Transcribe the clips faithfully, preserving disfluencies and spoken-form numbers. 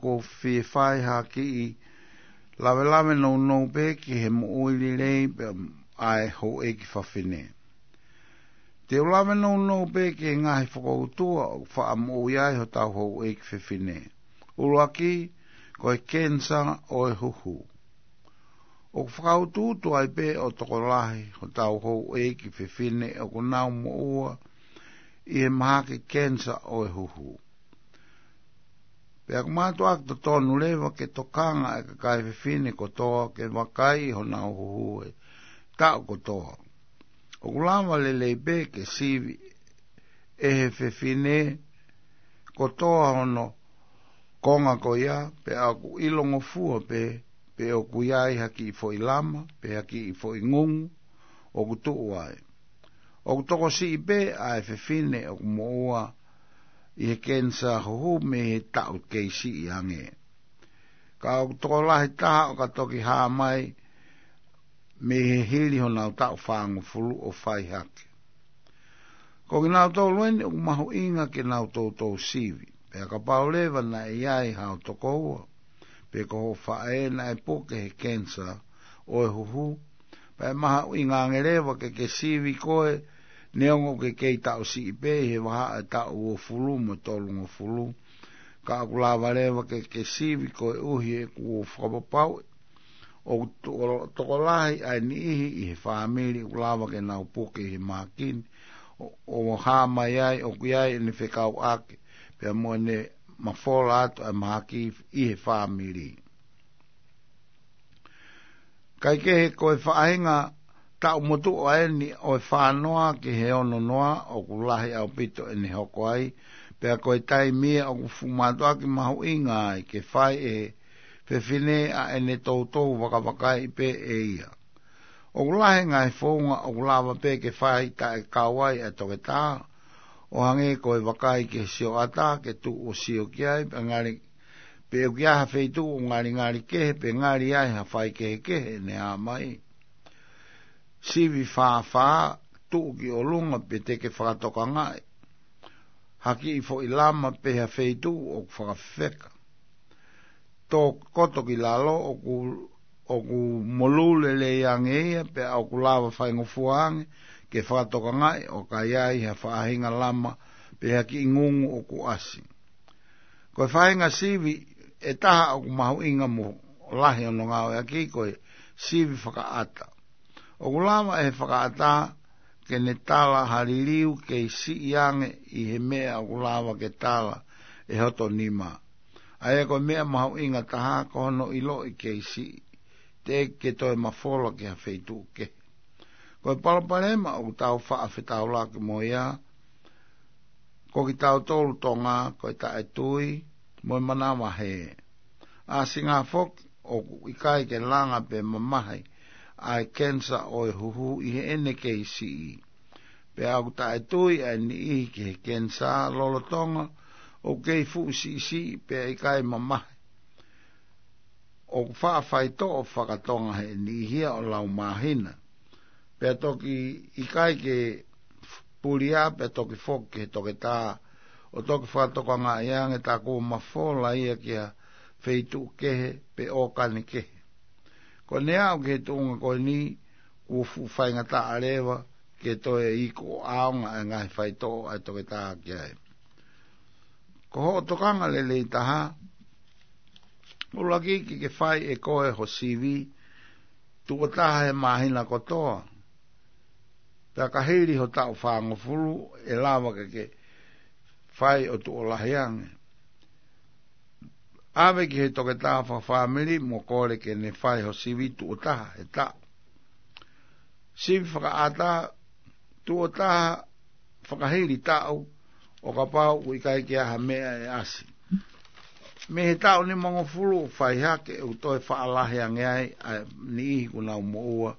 ʻoku ou fie fai ha kiʻi lavelave nounou pē ki he moʻui lelei pē ʻa e houʻeiki fefine. Te u lave nounou pē ki he ngaahi fokoutua ʻoku faʻa moʻui ai hotau houʻeiki fefine. ʻUluaki, ko e kenisa ʻo e huhu. ʻOku fakautuutu ai pē ʻo tokolahi hotau houʻeiki fefine ʻoku nau moʻua ʻi he mahaki kenisa ʻo e huhu. Pea ʻoku mātuʻaki totonu leva ke tokanga e kakai fefine kotoa ke vakai honau huhu he taʻu kotoa. ʻOku lava lelei pē ke sivi ʻe he fefine kotoa hono konga ko ia, pea ʻoku ʻilongofua pē pe ʻoku ʻi ai ha kiʻi foʻi lama pe ha kiʻi foʻi ngungu ʻoku tuʻu ai. ʻOku tokosiʻi pē ʻa e fefine ʻoku moʻua ʻi he kenisa huhu mei he taʻu kei siʻi ange. Ka ʻoku tokolahi taha ʻoka toki hā mai mei he hili honau taʻu fāngofulu ʻo fai hake. Ko kinautolu eni ʻoku mahuʻinga ke nau toutou sivi. Pea kapau leva naʻe ʻi ai hao tokoua pe ko hoʻo faʻē naʻe puke he kenisa ʻo e huhu, pea ʻe mahuʻinga ange leva ke ke sivi koe neongo ʻoku ke kei taʻu siʻi pē ʻi he vahaʻa ʻe taʻu uofulu mo e tolungofulu. Ka ʻoku lava leva ke ke sivi koeʻuhi he ʻoku ou fakapapauʻi ʻoku to-, tokolahi ʻa e niʻihi ʻi he fāmili ʻoku lava ke nau puke ʻi he mahaki ni ʻo, ʻo hā mai ai ʻoku ʻi ai ʻene fekauʻaki pea mo ʻene mafola atu ʻa e mahaki ʻi he fāmili. Kaekehe, ko e faʻahinga taʻu motuʻa eni ʻo e fā noa ki he ono noa ʻoku lahi ʻaupito ʻene hoko ai, pea ko e taimi ia ʻoku fuʻu mātuʻaki mahuʻinga ai ke fai ʻe he fefine ʻa ʻene toutou vakavakai pē ʻe ia. ʻOku lahi ngaahi founga ʻoku lava pē ke fai taʻe kau ai ʻa e toketā, ʻo hangē ko e vakai ki he sioʻata ke tuʻu ʻo sio ki ai, pe ngali, pe ʻoku ʻi ai ha feituʻu ʻoku ngalingali kehe, pe ngali ʻi ai ha faikehekehe ʻene hā mai. Sivi fāfā, tuʻu ki ʻolunga pe te ke fakatokangaʻi ha kiʻi foʻi lama pe ha feituʻu ʻoku fakafefeka. Tō koto ki lalo ʻoku, ʻoku molū lelei ange ia, pea ʻoku lava faingofua ange ke fakatokangaʻi ʻoka ʻi ai ha faʻahinga lama pe ha kiʻi ngungu ʻoku ʻasi. Ko e faʻahinga sivi ʻe taha ʻoku mahuʻinga mo lahi hono ngāueʻaki ko e sivi fakaʻata. ʻOku lava ʻe he fakaʻata ke ne tala ha liliu kei siʻi ange ʻi he meʻa ʻoku lava ke tala ʻe hoto nima. ʻA ia ko e meʻa mahuʻinga taha ko hono ʻiloʻi kei siʻi, teʻeki ke toe mafola ki ha feituʻu kehe. Ko e palopalema ʻoku tau faʻa fetaulaki mo ia, ko kitautolu Tonga, ko e taʻetui mo e manavahē. ʻAsinga foki ʻoku ʻikai ke langa pe mamahi ʻa e kenisa ʻo e huhu ʻi heʻene kei siʻi. Pea ʻoku taʻetui ʻa e niʻihi ki he kenisa lolotonga ʻoku kei fuʻu siʻisiʻi pea ʻikai mamahi. ʻOku faʻa faitoʻo fakatonga he niʻihi ia ʻo lau māhina. Pea toki ʻikai ke pulia, pea toki foki ki he toketā ʻo toki fakatokangaʻi ange tā kuo mafola ia ki ha feituʻu kehe pe ʻōkani kehe. Ko ʻene aʻu ki he tuʻunga ko eni, kuo fuʻu faingataʻa leva ke toe iku ʻo ʻaonga ʻa e ngaahi faitoʻo ʻa e toketā ki ai. Ko hoʻo tokanga lelei taha, ʻuluaki ke ke fai ʻe koe ho sivi tuʻo taha he māhina kotoa. Pea ka hili ho taʻu fāngofulu ʻe lava ke ke fai ʻo tuʻo lahi ange. ʻAve ki he toketā fakafāmili mo kole ke ne fai ho sivi tuʻo taha he taʻu. Sivi fakaʻata tuʻo taha fakahili taʻu ʻo kapau ʻoku ʻikai ke ʻi ai ha meʻa ʻe ʻasi. Mei he taʻu nimangofulu ʻo fai hake ʻoku toe faʻa lahi ange ai ʻa e niʻihi ʻoku nau moʻua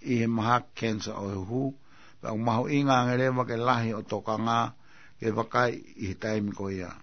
ʻi he mahaki kenisa ʻo e huhu, pea ʻoku mahuʻinga ange leva ke lahi hoʻo tokanga ke vakai ʻi he taimi ko ia.